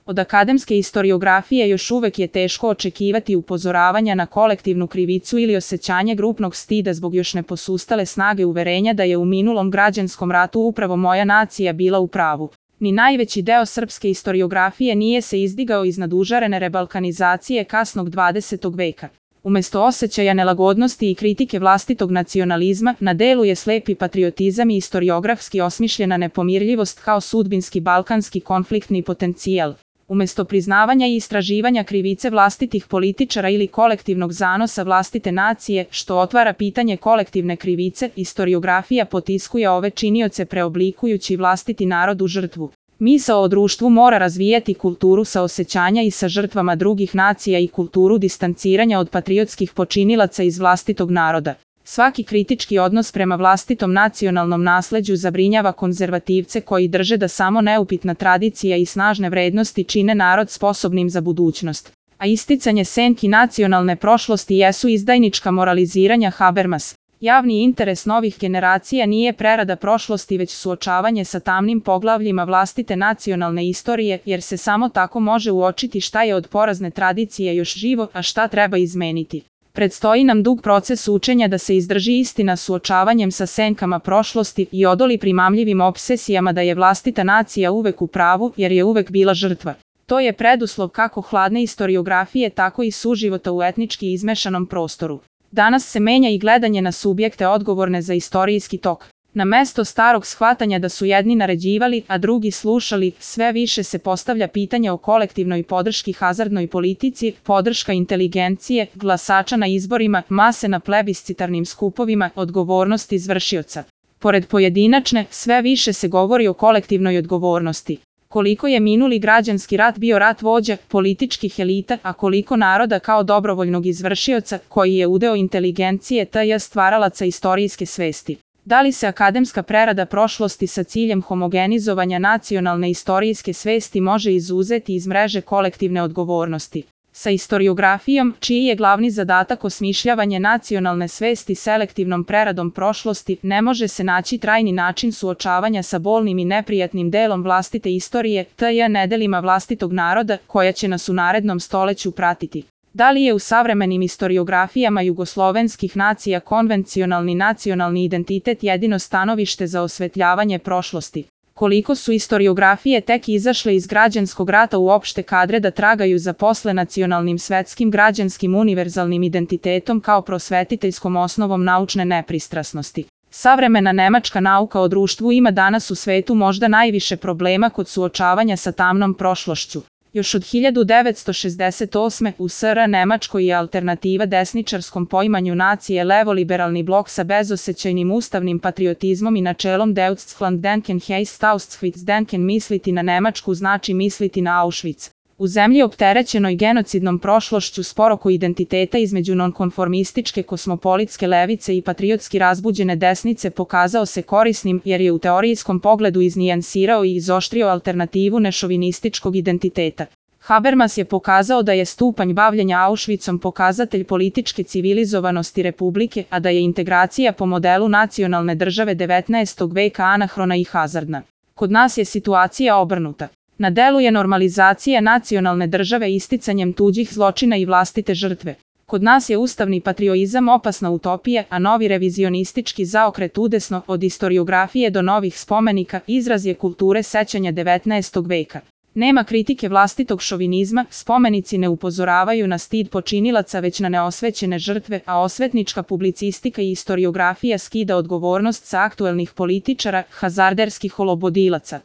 Od akademske istoriografije još uvek je teško očekivati upozoravanja na kolektivnu krivicu ili osjećanje grupnog stida zbog još neposustale snage uverenja da je u minulom građanskom ratu upravo moja nacija bila u pravu. Ni najveći deo srpske istoriografije nije se izdigao iznad užarene rebalkanizacije kasnog 20. veka. Umesto osjećaja nelagodnosti i kritike vlastitog nacionalizma, na delu je slepi patriotizam i istoriografski osmišljena nepomirljivost kao sudbinski balkanski konfliktni potencijal. Umesto priznavanja i istraživanja krivice vlastitih političara ili kolektivnog zanosa vlastite nacije, što otvara pitanje kolektivne krivice, istoriografija potiskuje ove činioce preoblikujući vlastiti narod u žrtvu. Misao o društvu mora razvijati kulturu saosećanja i sa žrtvama drugih nacija i kulturu distanciranja od patriotskih počinilaca iz vlastitog naroda. Svaki kritički odnos prema vlastitom nacionalnom nasleđu zabrinjava konzervativce koji drže da samo neupitna tradicija i snažne vrednosti čine narod sposobnim za budućnost. A isticanje senki nacionalne prošlosti jesu izdajnička moraliziranja Habermas. Javni interes novih generacija nije prerada prošlosti već suočavanje sa tamnim poglavljima vlastite nacionalne istorije, jer se samo tako može uočiti šta je od porazne tradicije još živo, a šta treba izmeniti. Predstoji nam dug proces učenja da se izdrži istina suočavanjem sa senkama prošlosti i odoli primamljivim opsesijama da je vlastita nacija uvek u pravu, jer je uvek bila žrtva. To je preduslov kako hladne istoriografije, tako i suživota u etnički izmešanom prostoru. Danas se menja i gledanje na subjekte odgovorne za istorijski tok. Na mesto starog shvatanja da su jedni naređivali, a drugi slušali, sve više se postavlja pitanje o kolektivnoj podrški hazardnoj politici, podrška inteligencije, glasača na izborima, mase na plebiscitarnim skupovima, odgovornost izvršioca. Pored pojedinačne, sve više se govori o kolektivnoj odgovornosti. Koliko je minuli građanski rat bio rat vođa, političkih elita, a koliko naroda kao dobrovoljnog izvršioca, koji je udeo inteligencije tj. stvaralaca istorijske svesti. Da li se akademska prerada prošlosti sa ciljem homogenizovanja nacionalne istorijske svesti može izuzeti iz mreže kolektivne odgovornosti? Sa istoriografijom, čiji je glavni zadatak osmišljavanje nacionalne svesti selektivnom preradom prošlosti, ne može se naći trajni način suočavanja sa bolnim i neprijatnim delom vlastite istorije, tj. nedelima vlastitog naroda, koja će nas u narednom stoleću pratiti. Da li je u savremenim istoriografijama jugoslovenskih nacija konvencionalni nacionalni identitet jedino stanovište za osvetljavanje prošlosti? Koliko su istoriografije tek izašle iz građanskog rata u opšte kadre da tragaju za posle nacionalnim svetskim građanskim univerzalnim identitetom kao prosvetiteljskom osnovom naučne nepristrasnosti? Savremena nemačka nauka o društvu ima danas u svetu možda najviše problema kod suočavanja sa tamnom prošlošću. Još od 1968. u SR Nemačkoj je alternativa desničarskom poimanju nacije levoliberalni blok sa bezosećajnim ustavnim patriotizmom i načelom Deutschlanddenken heißt Auschwitzdenken, misliti na Nemačku znači misliti na Auschwitz. U zemlji opterećenoj genocidnom prošlošću sporoko identiteta između nonkonformističke kosmopolitske levice i patriotski razbuđene desnice pokazao se korisnim jer je u teorijskom pogledu iznijansirao i izoštrio alternativu nešovinističkog identiteta. Habermas je pokazao da je stupanj bavljenja Auschwitzom pokazatelj političke civilizovanosti republike, a da je integracija po modelu nacionalne države 19. veka anahrona i hazardna. Kod nas je situacija obrnuta. Na delu je normalizacija nacionalne države isticanjem tuđih zločina i vlastite žrtve. Kod nas je ustavni patriotizam opasna utopija, a novi revizionistički zaokret udesno, od istoriografije do novih spomenika, izraz je kulture sećanja 19. veka. Nema kritike vlastitog šovinizma, spomenici ne upozoravaju na stid počinilaca već na neosvećene žrtve, a osvetnička publicistika i istoriografija skida odgovornost sa aktuelnih političara, hazarderskih olobodilaca.